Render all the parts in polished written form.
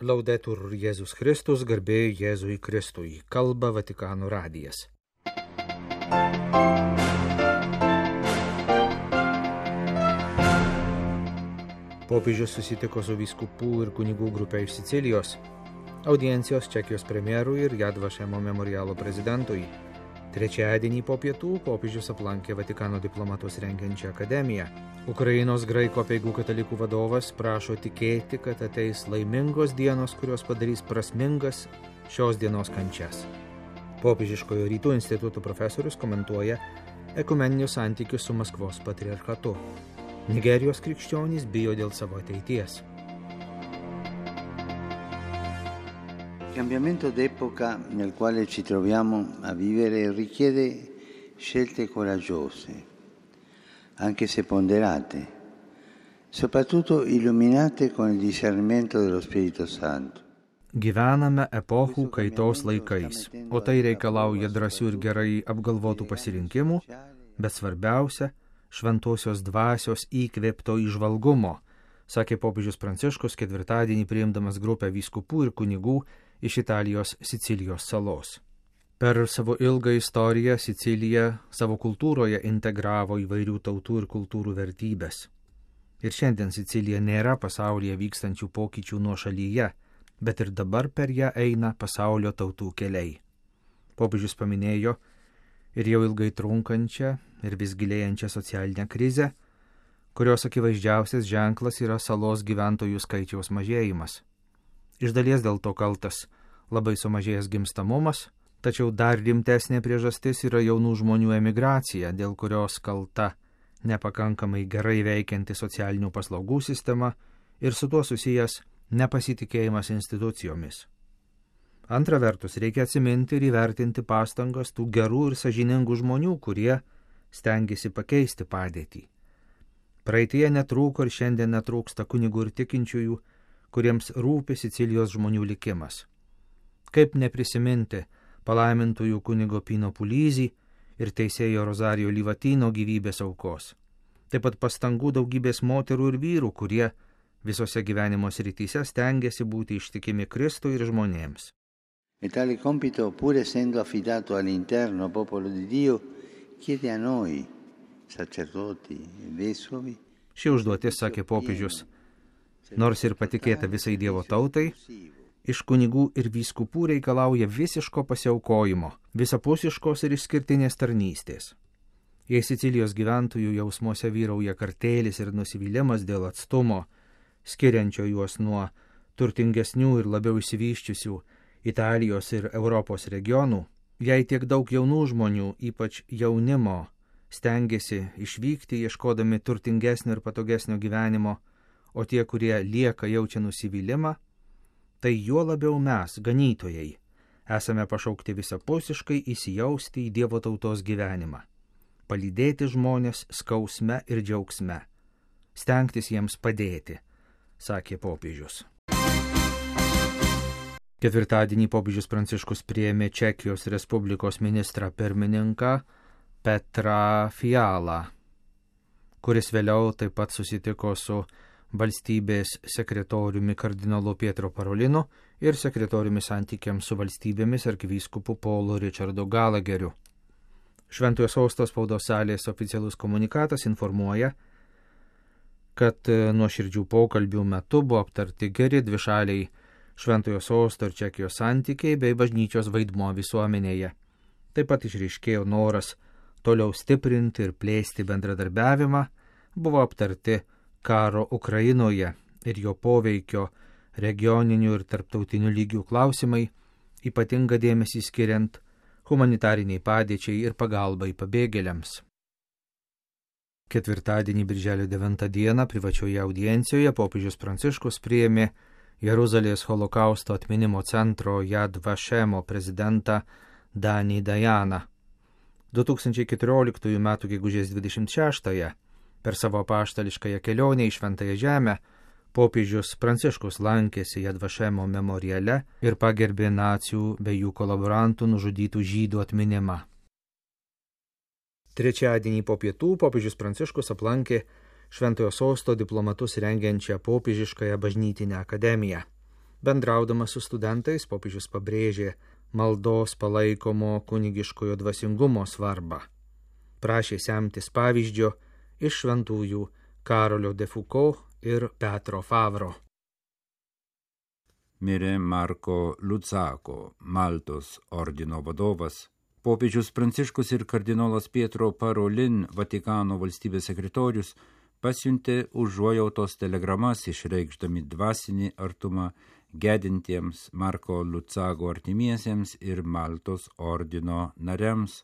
Laudetur Jėzus Kristus, garbė Jėzui Kristui, kalba Vatikano radijas. Popiežius susitiko su vyskupų ir kunigų grupė iš Sicilijos, audiencijos Čekijos premjerui ir Yad Vašemo memorialo prezidentui. Trečiadienį po pietų popiežius aplankė Vatikano diplomatus rengiančią akademiją. Ukrainos graikų apeigų katalikų vadovas prašo tikėti, kad ateis laimingos dienos, kurios padarys prasmingas šios dienos kančias. Popiežiškojo rytų instituto profesorius komentuoja ekumeninius santykius su Maskvos patriarchatu. Nigerijos krikščionys bijo dėl savo ateities. Il cambiamento d'epoca nel quale ci troviamo a vivere richiede scelte coraggiose, anche se ponderate, soprattutto illuminate con il discernimento dello Spirito Santo. Gyvename epochų kaitos laikais, o tai reikalauja drąsių ir gerai apgalvotų pasirinkimų, bet svarbiausia – šventosios dvasios įkvėpto įžvalgumo, sakė popiežius Pranciškus ketvirtadienį priimdamas grupę vyskupų ir kunigų iš Italijos Sicilijos salos. Per savo ilgą istoriją Sicilija savo kultūroje integravo įvairių tautų ir kultūrų vertybės. Ir šiandien Sicilija nėra pasaulyje vykstančių pokyčių nuošalyje, bet ir dabar per ją eina pasaulio tautų keliai. Popiežius paminėjo ir jau ilgai trunkančią ir vis gilėjančią socialinę krizę, kurios akivaizdžiausias ženklas yra salos gyventojų skaičiaus mažėjimas. Iš dalies dėl to kaltas labai sumažėjęs gimstamumas, tačiau dar rimtesnė priežastis yra jaunų žmonių emigracija, dėl kurios kalta nepakankamai gerai veikianti socialinių paslaugų sistema ir su tuo susijęs nepasitikėjimas institucijomis. Antra vertus, reikia atsiminti ir įvertinti pastangas tų gerų ir sąžiningų žmonių, kurie stengiasi pakeisti padėtį. Praeityje netrūko ir šiandien netrūksta kunigų ir tikinčiųjų, kuriems rūpi Sicilijos žmonių likimas. Kaip neprisiminti palaimintųjų kunigo Pino Pulyzį ir teisėjo Rozarijo Livatino gyvybės aukos. Taip pat pastangų daugybės moterų ir vyrų, kurie visose gyvenimo srityse stengiasi būti ištikimi Kristui ir žmonėms. E tale compito, pur essendo affidato all'interno popolo di Dio, chiede a noi, sacerdoti e vescovi. Ši užduotis, sakė popiežius, nors ir patikėta visai Dievo tautai, iš kunigų ir vyskupų reikalauja visiško pasiaukojimo, visapusiškos ir išskirtinės tarnystės. Jei Sicilijos gyventojų jausmuose vyrauja kartėlis ir nusivylimas dėl atstumo, skiriančio juos nuo turtingesnių ir labiau išsivysčiusių Italijos ir Europos regionų, jei tiek daug jaunų žmonių, ypač jaunimo, stengiasi išvykti ieškodami turtingesnio ir patogesnio gyvenimo, o tie, kurie lieka, jaučia nusivylimą, tai juo labiau mes, ganytojai, esame pašaukti visapusiškai įsijausti į Dievo tautos gyvenimą, palydėti žmonės skausme ir džiaugsme, stengtis jiems padėti, sakė popiežius. Ketvirtadienį popiežius Pranciškus priėmė Čekijos Respublikos ministrą pirmininką Petrą Fialą, kuris vėliau taip pat susitiko su valstybės sekretoriumi kardinolu Pietro Parolinu ir sekretoriumi santykiams su valstybėmis arkivyskupu Paulu Richardu Galageriu. Šventojo Sosto spaudos salės oficialus komunikatas informuoja, kad nuoširdžių pokalbių metu buvo aptarti geri dvišaliai Šventojo Sosto ir Čekijos santykiai bei bažnyčios vaidmuo visuomenėje. Taip pat išryškėjo noras toliau stiprinti ir plėsti bendradarbiavimą, buvo aptarti karo Ukrainoje ir jo poveikio regioninių ir tarptautinių lygių klausimai, ypatinga dėmesį skiriant humanitariniai padėčiai ir pagalbai pabėgėliams. Ketvirtadienį birželio 9 dieną privačioje audiencijoje popiežius Pranciškus priėmė Jeruzalės holokausto atminimo centro Yad Vašemo prezidentą Danį Dajaną. 2014 m. gegužės 26-ąją per savo apaštališkąją kelionę į Šventąją Žemę popiežius Pranciškus lankėsi Yad Vašemo memoriale ir pagerbė nacių bei jų kolaborantų nužudytų žydų atminimą. Trečiadienį po pietų popiežius Pranciškus aplankė Šventojo Sosto diplomatus rengiančią popiežiškąją bažnytinę akademiją. Bendraudamas su studentais, popiežius pabrėžė maldos palaikomo kunigiškojo dvasingumo svarbą. Prašė semtis pavyzdžio iš šventųjų Karolio de Foucault ir Petro Favro. Mirė Marko Luzzako, Maltos ordino vadovas. Popiežius Pranciškus ir kardinolas Pietro Parolin, Vatikano valstybės sekretorius, pasiuntė užuojautos telegramas išreikšdami dvasinį artumą gedintiems Marko Luzzako artimiesiems ir Maltos ordino nariams.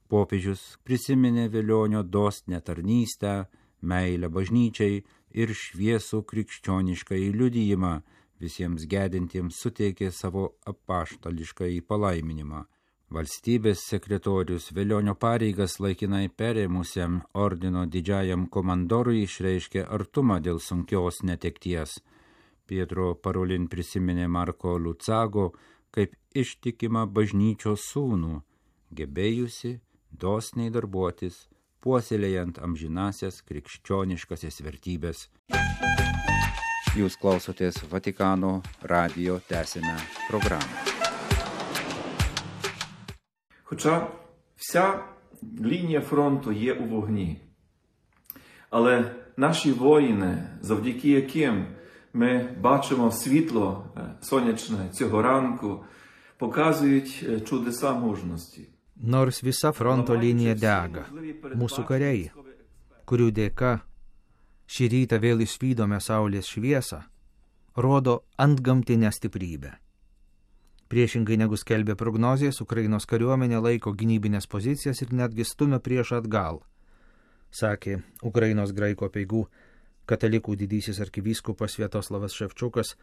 Popiežius prisiminė Velionio dosnią tarnystę, meilę bažnyčiai ir šviesų krikščionišką liudijimą, visiems gedintiems suteikė savo apaštališkąjį palaiminimą. Valstybės sekretorius Velionio pareigas laikinai perėmusiam ordino didžiajam komandorui išreiškė artumą dėl sunkios netekties. Pietro Parolin prisiminė Marko Luzzako kaip ištikimą bažnyčios sūnų, gebėjusi dosniai darbuotis, puoselėjant amžinasias krikščioniškasias vertybės. Jūs klausotės Vatikano radijo tęsinę programу. Хоча вся лінія фронту є у вогні. Але наші воїни, завдяки яким ми бачимо світло сонячне цього ранку, показують чудеса мужності. Nors visa fronto linija dega, mūsų kariai, kurių dėka šį rytą vėl išvydome saulės šviesą, rodo antgamtinę stiprybę. Priešingai negu skelbė prognozijas, Ukrainos kariuomenė laiko gynybinės pozicijas ir netgi stumia priešą atgal, sakė Ukrainos graikų apeigų katalikų didysis arkivyskupas Sviatoslavas Ševčiukas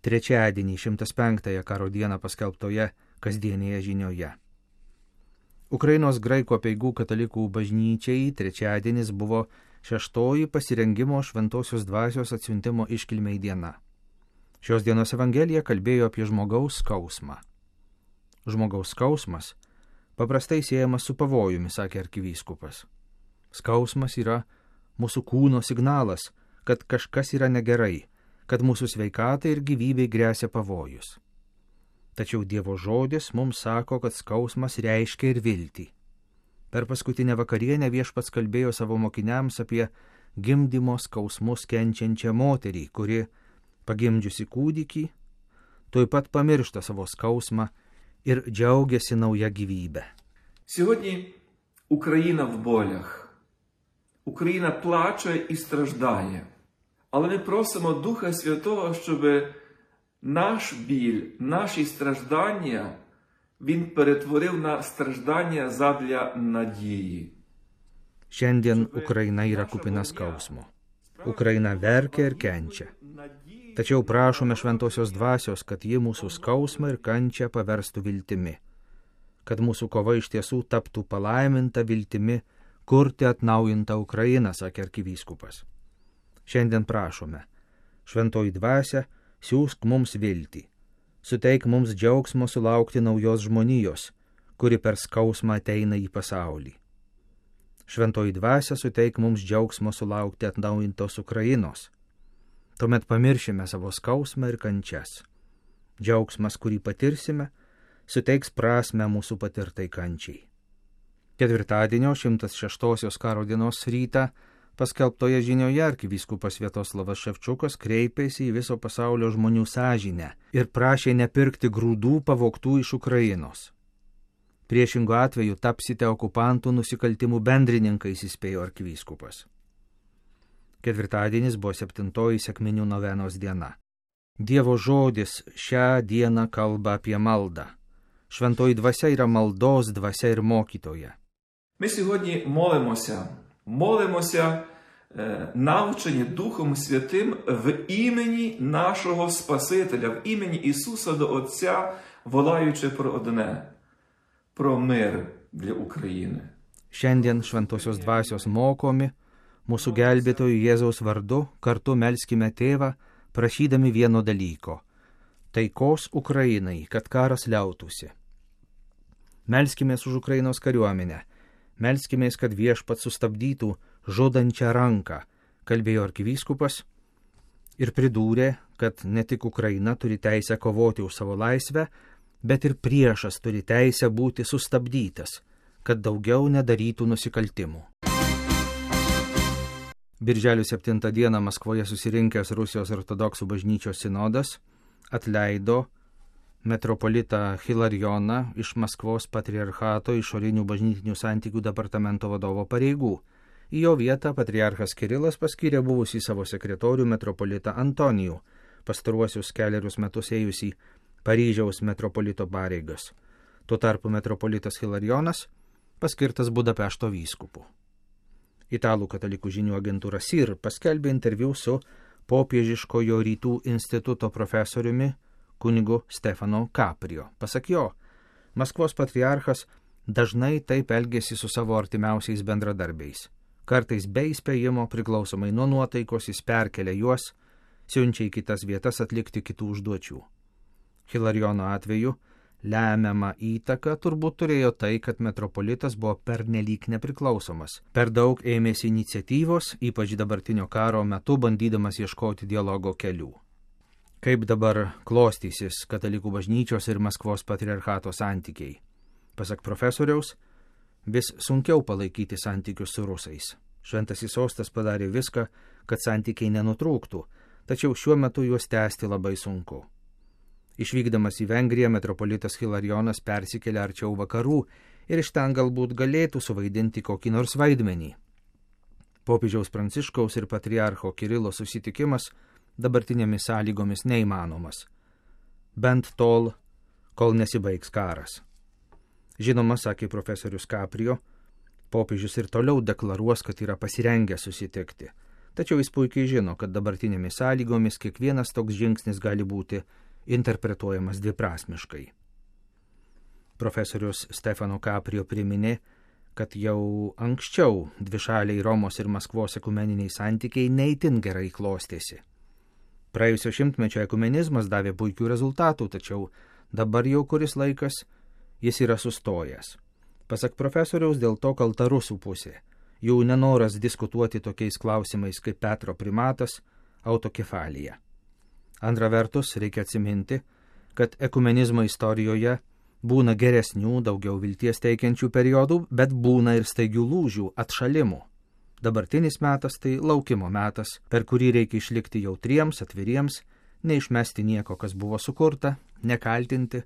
trečiadienį 105-ąją karo dieną paskelbtoje kasdienėje žinioje. Ukrainos graikų apeigų katalikų bažnyčiai trečiadienis buvo 6-oji pasirengimo šventosios dvasios atsiuntimo iškilmei diena. Šios dienos evangelija kalbėjo apie žmogaus skausmą. Žmogaus skausmas paprastai siejamas su pavojumi, sakė arkivyskupas. Skausmas yra mūsų kūno signalas, kad kažkas yra negerai, kad mūsų sveikatai ir gyvybei gresia pavojus. Tačiau Dievo žodis mums sako, kad skausmas reiškia ir viltį. Per paskutinę vakarienę Viešpats kalbėjo savo mokiniams apie gimdymo skausmus kenčiančią moterį, kuri, pagimdžiusi kūdikį, tuoj pat pamiršta savo skausmą ir džiaugiasi nauja gyvybė. Сьогодні Україна в болях. Україна плаче і страждає. Але ми просимо Духа Святого, щоб наш біль, наші страждання Він перетворив на страждання задля надії. Šiandien Ukraina yra kupina skausmo. Ukraina verkia ir kenčia. Tačiau prašome šventosios dvasios, kad ji mūsų skausmą ir kančią paverstų viltimi. Kad mūsų kova iš tiesų taptų palaiminta viltimi kurti atnaujintą Ukrainą, sakė arkivyskupas. Šiandien prašome, šventoji dvasia, siųsk mums viltį. Suteik mums džiaugsmo sulaukti naujos žmonijos, kuri per skausmą ateina į pasaulį. Šventoji dvasia suteik mums džiaugsmo sulaukti atnaujintos Ukrainos. Tuomet pamiršime savo skausmą ir kančias. Džiaugsmas, kurį patirsime, suteiks prasmę mūsų patirtai kančiai. Ketvirtadienio 106-osios karo dienos rytą paskelbtoje žinioje arkivyskupas Sviatoslavas Ševčiukas kreipėsi į viso pasaulio žmonių sąžinę ir prašė nepirkti grūdų pavogtų iš Ukrainos. Priešingu atveju tapsite okupantų nusikaltimų bendrininkais, įspėjo arkivyskupas. Ketvirtadienis buvo 7-oji sekminių novenos diena. Dievo žodis šią dieną kalba apie maldą. Šventoji dvasia yra maldos dvasia ir mokytoja. Ми сьогодні молимося, навчені Духом Святим в імені нашого Спасителя, в імені Ісуса до Отця, волаючи про одне – про мир для України. Šiandien šventosios dvasios mokomi, mūsų gelbėtojų Jėzaus vardu kartu melskime Tėvą, prašydami vieno dalyko – taikos Ukrainai, kad karas liautųsi. Melskimės už Ukrainos kariuomenę, melskimės, kad Viešpats sustabdytų žudančią ranką, kalbėjo arkivyskupas ir pridūrė, kad ne tik Ukraina turi teisę kovoti už savo laisvę, bet ir priešas turi teisę būti sustabdytas, kad daugiau nedarytų nusikaltimų. Birželio 7 dieną Maskvoje susirinkęs Rusijos ortodoksų bažnyčios sinodas atleido metropolitą Hilarioną iš Maskvos patriarchato išorinių bažnytinių santykių departamento vadovo pareigų. Į jo vietą patriarchas Kirilas paskyrė buvusį savo sekretorių metropolitą Antonijų, pastaruosius 4 metus ėjusį Paryžiaus metropolito pareigas. Tuo tarpu metropolitas Hilarionas paskirtas Budapešto vyskupu. Italų katalikų žinių agentūra SIR paskelbė interviu su popiežiškojo rytų instituto profesoriumi kunigu Stefano Caprio. Pasak jo, Maskvos patriarchas dažnai taip elgėsi su savo artimiausiais bendradarbiais. Kartais be įspėjimo, priklausomai nuo nuotaikos, jis perkelia juos, siunčia į kitas vietas atlikti kitų užduočių. Hilariono atveju lemiamą įtaką turbūt turėjo tai, kad metropolitas buvo pernelyg nepriklausomas. Per daug ėmėsi iniciatyvos, ypač dabartinio karo metu, bandydamas ieškoti dialogo kelių. Kaip dabar klostysis katalikų bažnyčios ir Maskvos patriarchato santykiai? Pasak profesoriaus, vis sunkiau palaikyti santykius su rusais. Šventasis sostas padarė viską, kad santykiai nenutrūktų, tačiau šiuo metu juos tęsti labai sunku. Išvykdamas į Vengriją, metropolitas Hilarionas persikėlė arčiau vakarų ir iš ten galbūt galėtų suvaidinti kokį nors vaidmenį. Popiežiaus Pranciškaus ir patriarcho Kirilo susitikimas dabartinėmis sąlygomis neįmanomas. Bent tol, kol nesibaigs karas. Žinoma, sakė profesorius Caprio, popiežius ir toliau deklaruos, kad yra pasirengęs susitikti. Tačiau jis puikiai žino, kad dabartinėmis sąlygomis kiekvienas toks žingsnis gali būti interpretuojamas dviprasmiškai. Profesorius Stefano Caprio priminė, kad jau anksčiau dvišaliai Romos ir Maskvos ekumeniniai santykiai neįtin gerai klostėsi. Praėjusio šimtmečio ekumenizmas davė puikių rezultatų, tačiau dabar jau kuris laikas jis yra sustojęs. Pasak profesoriaus, dėl to kalta rusų pusė. Jų nenoras diskutuoti tokiais klausimais kaip Petro primatas, autokefalija. Antra vertus, reikia atsiminti, kad ekumenizmo istorijoje būna geresnių, daugiau vilties teikiančių periodų, bet būna ir staigių lūžių, atšalimų. Dabartinis metas tai laukimo metas, per kurį reikia išlikti jautriems, atviriems, neišmesti nieko, kas buvo sukurta, nekaltinti,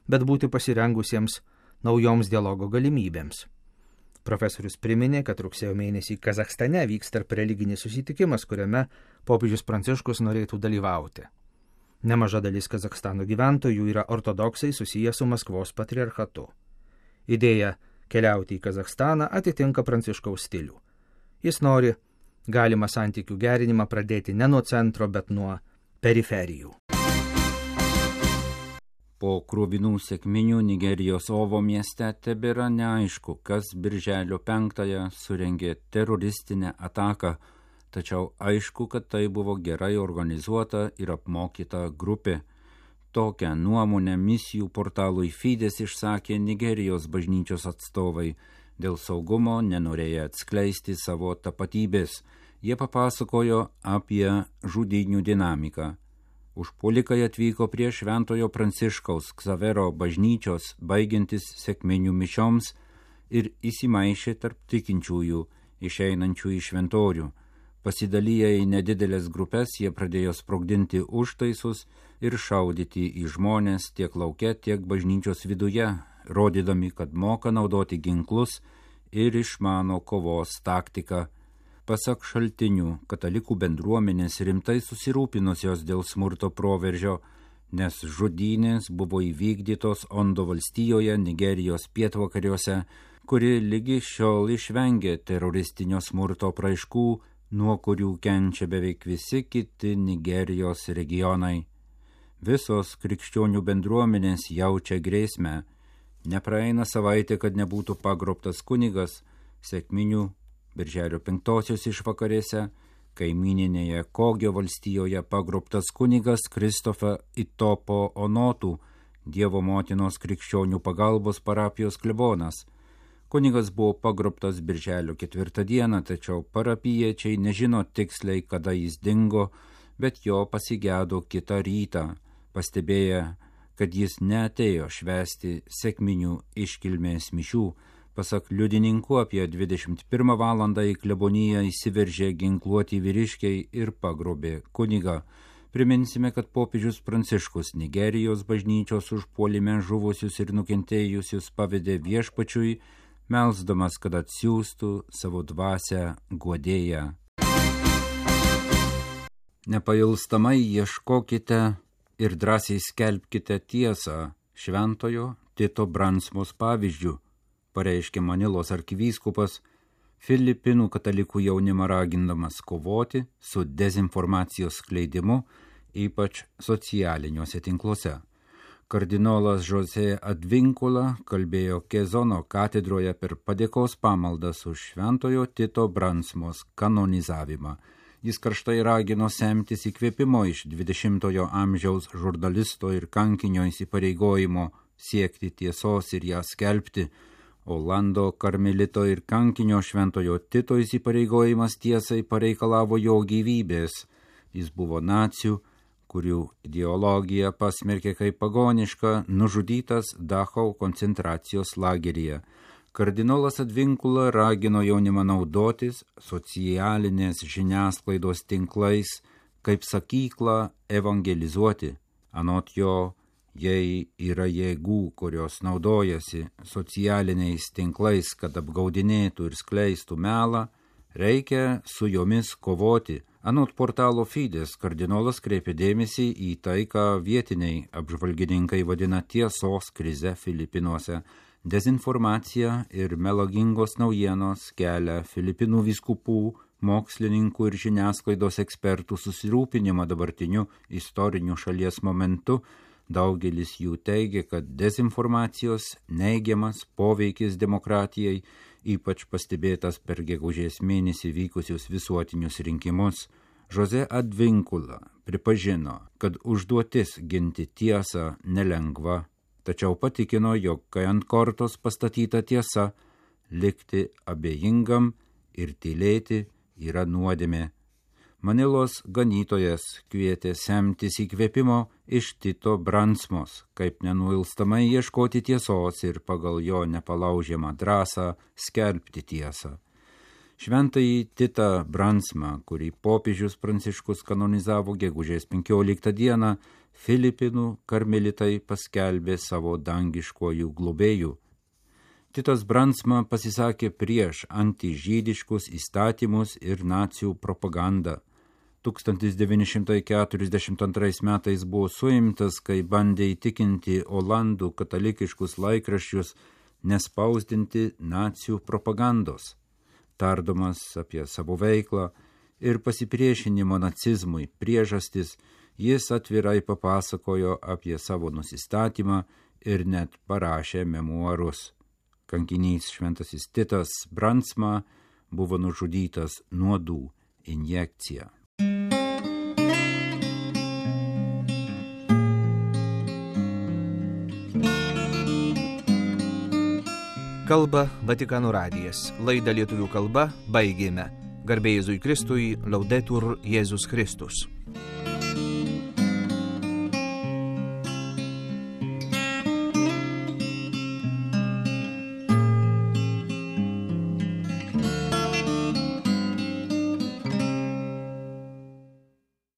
bet būti pasirengusiems naujoms dialogo galimybėms. Profesorius priminė, kad rugsėjo mėnesį Kazachstane vyks tarp religinis susitikimas, kuriame popiežius Pranciškus norėtų dalyvauti. Nemaža dalis Kazachstano gyventojų yra ortodoksai susiję su Maskvos patriarchatu. Idėja keliauti į Kazachstaną atitinka Pranciškaus stilių. Jis nori galimą santykių gerinimą pradėti ne nuo centro, bet nuo periferijų. Po kruvinų sekminių Nigerijos Ovo mieste tebėra neaišku, kas birželio 5 surengė teroristinę ataką, tačiau aišku, kad tai buvo gerai organizuota ir apmokyta grupė. Tokią nuomonę misijų portalui Fides išsakė Nigerijos bažnyčios atstovai. Dėl saugumo nenorėjo atskleisti savo tapatybės. Jie papasakojo apie žudynių dinamiką. Užpuolikai atvyko prie Šventojo Pranciškaus Ksavero bažnyčios, baigiantis sekminių mišioms, ir įsimaišė tarp tikinčiųjų, išeinančių į šventorių. Pasidalyję į nedidelės grupės, jie pradėjo sprogdinti užtaisus ir šaudyti į žmonės tiek lauke, tiek bažnyčios viduje, rodydami, kad moka naudoti ginklus ir išmano kovos taktiką. Pasak šaltinių, katalikų bendruomenės rimtai susirūpinusios dėl smurto proveržio, nes žudynės buvo įvykdytos Ondo valstijoje, Nigerijos pietvakariuose, kuri lygi šiol išvengė teroristinio smurto apraiškų, nuo kurių kenčia beveik visi kiti Nigerijos regionai. Visos krikščionių bendruomenės jaučia grėsmę. Nepraeina savaitė, kad nebūtų pagrobtas kunigas. Sekminių birželio 5 išvakarėse kaimininėje Kogio valstijoje pagrobtas kunigas Kristofa Itopo Onotų, Dievo motinos krikščionių pagalbos parapijos klebonas. Kunigas buvo pagrobtas birželio 4 dieną, tačiau parapijiečiai nežino tiksliai, kada jis dingo, bet jo pasigėdo kitą rytą, pastebėję, kad jis neatėjo švęsti sekminių iškilmės mišių. Pasak liudininkų, apie 21 valandą į kleboniją įsiveržė ginkluoti vyriškiai ir pagrobė kunigą. Priminsime, kad popiežius Pranciškus Nigerijos bažnyčios užpuolime žuvusius ir nukentėjusius pavedė viešpačiui, melsdamas, kad atsiųstų savo dvasią guodėją. Nepailstamai ieškokite ir drąsiai skelbkite tiesą šventojo Tito Bransmos pavyzdžių, pareiškė Manilos arkivyskupas, Filipinų katalikų jaunimą ragindamas kovoti su dezinformacijos skleidimu, ypač socialiniuose tinkluose. Kardinolas José Advíncula kalbėjo Kezono katedroje per padėkos pamaldas už šventojo Tito Bransmos kanonizavimą. Jis karštai ragino semtis įkvėpimo iš 20-ojo amžiaus žurnalisto ir kankinio įsipareigojimo siekti tiesos ir ją skelbti. Olando karmelito ir kankinio šventojo Tito įsipareigojimas tiesai pareikalavo jo gyvybės. Jis buvo nacių, kurių ideologija pasmerkė kaip pagoniška, nužudytas Dachau koncentracijos lageryje. Kardinolas Advíncula ragino jaunimą naudotis socialinės žiniasklaidos tinklais kaip sakyklą evangelizuoti. Anot jo, jei yra jėgų, kurios naudojasi socialiniais tinklais, kad apgaudinėtų ir skleistų melą, reikia su jomis kovoti. Anot portalo Fides, kardinolas kreipė dėmesį į tai, ką vietiniai apžvalgininkai vadina tiesos krize Filipinuose. Dezinformacija ir melagingos naujienos kelia Filipinų vyskupų, mokslininkų ir žiniasklaidos ekspertų susirūpinimą dabartiniu istoriniu šalies momentu. Daugelis jų teigia, kad dezinformacijos neigiamas poveikis demokratijai, ypač pastebėtas per gegužės mėnesį vykusius visuotinius rinkimus. José Advíncula pripažino, kad užduotis ginti tiesą nelengva, tačiau patikino, jog kai ant kortos pastatyta tiesa, likti abejingam ir tylėti yra nuodėmė. Manilos ganytojas kvietė semtis įkvėpimo iš Tito Bransmos, kaip nenuilstamai ieškoti tiesos ir pagal jo nepalaužiamą drąsą skelbti tiesą. Šventąjį Titą Bransmą, kurį popiežius Pranciškus kanonizavo gegužės 15 dieną, Filipinų karmelitai paskelbė savo dangiškojų globėjų. Titas Bransma pasisakė prieš antižydiškus įstatymus ir nacijų propagandą. 1942 metais buvo suimtas, kai bandė įtikinti Olandų katalikiškus laikraščius nespausdinti nacijų propagandos. Tardomas apie savo veiklą ir pasipriešinimo nacizmui priežastis, jis atvirai papasakojo apie savo nusistatymą ir net parašė memuarus. Kankinys šventasis Titas Bransma buvo nužudytas nuodų injekcija. Kalba Vatikano radijas. Laidą lietuvių kalba baigėme. Garbė Jėzui Kristui, Laudetur Jėzus Kristus.